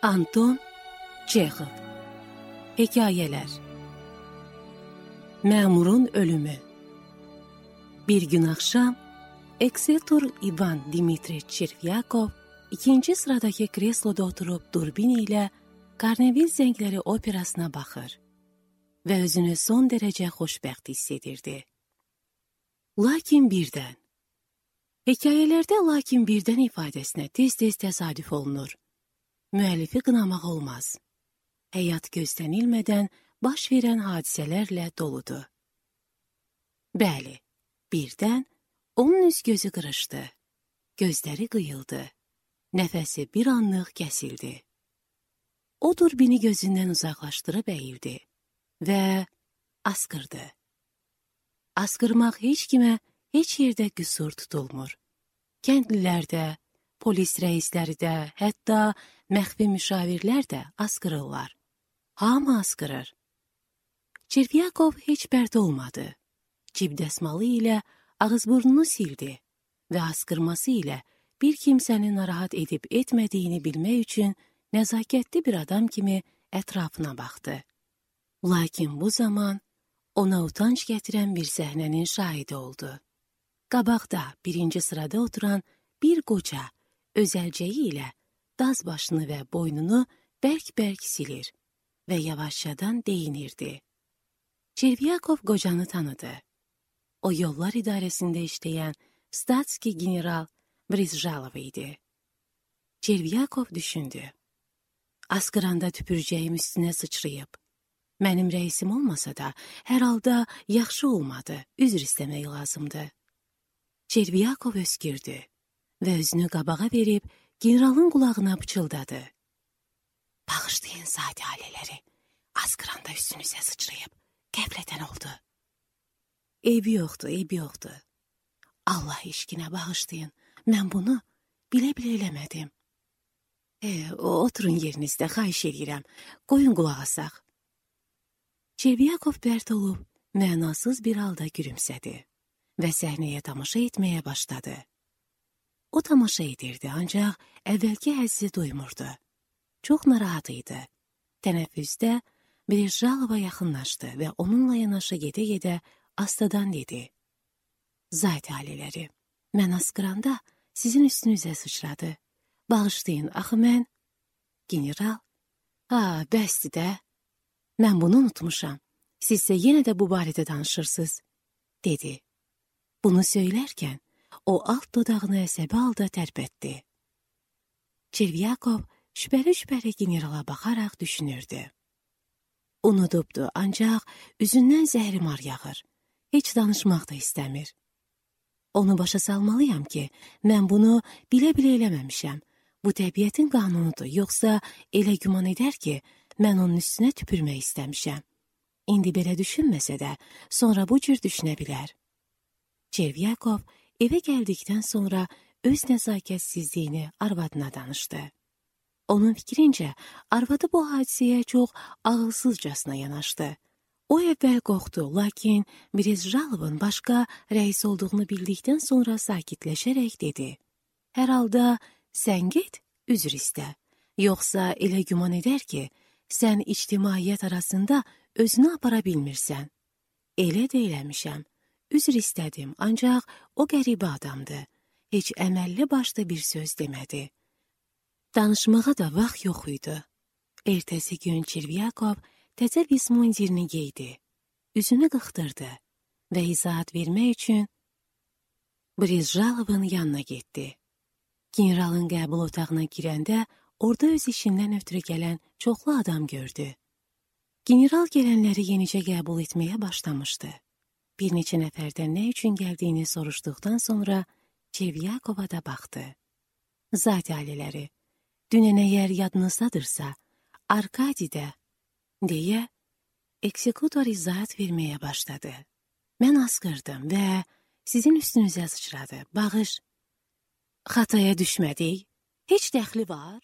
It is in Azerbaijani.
Anton Çexov. Hekayeler. Məmurun ölümü. Bir gün axşam Eksektor İvan Dimitriç Çervyakov ikinci sıradaki kresloda oturup durbin ile Karnevil Zəngləri operasına baxır və özünü son derece xoşbəxt hiss edirdi. Lakin birdən. Hekayelerde lakin birdən ifadesine tez-tez təsadüf olunur. Müəllifi qınamaq olmaz. Həyat gözlənilmədən baş verən hadisələrlə doludur. Bəli, birdən onun üz gözü qırışdı. Gözləri qıyıldı. Nəfəsi bir anlıq kəsildi. O durbini gözündən uzaqlaşdırıb əyildi və askırdı. Askırmaq heç kimə, heç yerdə qüsur tutulmur. Kəndlilərdə, polis rəisləri də, hətta məxfi müşavirlər də askırırlar. Hamı askırır. Çervyakov heç pərt olmadı. Cib dəsmalı ilə ağız-burnunu sildi və askırması ilə bir kimsəni narahat edib etmədiyini bilmək üçün nəzakətli bir adam kimi ətrafına baxdı. Lakin bu zaman ona utanç gətirən bir səhnənin şahidi oldu. Qabaqda birinci sırada oturan bir qoca öz əlcəyi ilə daz başını və boynunu bərk-bərk silir və yavaşçadan deyinirdi. Çervyakov qocanı tanıdı. O yollar idarəsində işləyən Statski general Brizjalov idi. Çervyakov düşündü. Askıranda tüpürcəyim üstünə sıçrayıb. Mənim rəisim olmasa da, hər halda yaxşı olmadı, üzr istəmək lazımdı. Çervyakov öskürdü və özünü qabağa verib generalın qulağına pıçıldadı. Bağışlayın zati ailələri, askıranda üstünüzə sıçrayıb, qəflətən oldu. Eybi yoxdur. Allah eşqinə bağışlayın, mən bunu bilə-bilə eləmədim. Oturun yerinizdə, xahiş edirəm, qoyun qulaq asaq. Çervyakov pərt olub, mənasız bir halda gülümsədi və səhnəyə tamaşa etməyə başladı. O tamaşa edirdi, ancaq əvvəlki həzzi duymurdu. Çox narahat idi. Tənəffüsdə Brizjalova yaxınlaşdı və onunla yanaşı gedə-gedə astadan dedi. Zati ailələri, mən askıranda sizin üstünüzə sıçradı. Bağışlayın, axı mən... General, bəsdir də. Mən bunu unutmuşam. Sizsə yenə də bu barədə danışırsınız, dedi. Bunu söylərkən, o alt dodağını əsəbi halda tərpətdi. Çervyakov şübhəli generala baxaraq düşünürdü. Unudubdu, ancaq üzündən zəhrimar yağır. Heç danışmaq da istəmir. Onu başa salmalıyam ki, mən bunu bilə-bilə eləməmişəm. Bu təbiətin qanunudur, yoxsa elə güman edər ki, mən onun üstünə tüpürmək istəmişəm. İndi belə düşünməsə də, sonra bu cür düşünə bilər. Çervyakov evə gəldikdən sonra öz nəzakətsizliyini arvadına danışdı. Onun fikrincə, arvadı bu hadisəyə çox ağılsızcasına yanaşdı. O əvvəl qorxdu, lakin Brizjalovun başqa rəis olduğunu bildikdən sonra sakitləşərək dedi. Hər halda sən get, üzr istə. Yoxsa elə güman edər ki, sən ictimaiyyət arasında özünü apara bilmirsən. Elə də eləmişəm. Üzr istədim, ancaq o qəribə adamdı. Heç əməlli başda bir söz demədi. Danışmağa da vaxt yox idi. Ertəsi gün Çervyakov təzə vismundirini geydi. Üzünü qıxdırdı və izahat vermək üçün Brizjalovun yanına getdi. Generalın qəbul otağına girəndə orada öz işindən ötürü gələn çoxlu adam gördü. General gələnləri yenicə qəbul etməyə başlamışdı. Bir neçə nəfərdən nə üçün gəldiyini soruşduqdan sonra Çervyakova da baxdı. Zati ailələri, dünən əgər yadınızdadırsa, Arkadidə, deyə eksekutor izahat verməyə başladı. Mən askırdım və sizin üstünüzə sıçradı. Bağış, xataya düşmədik, heç dəxli var?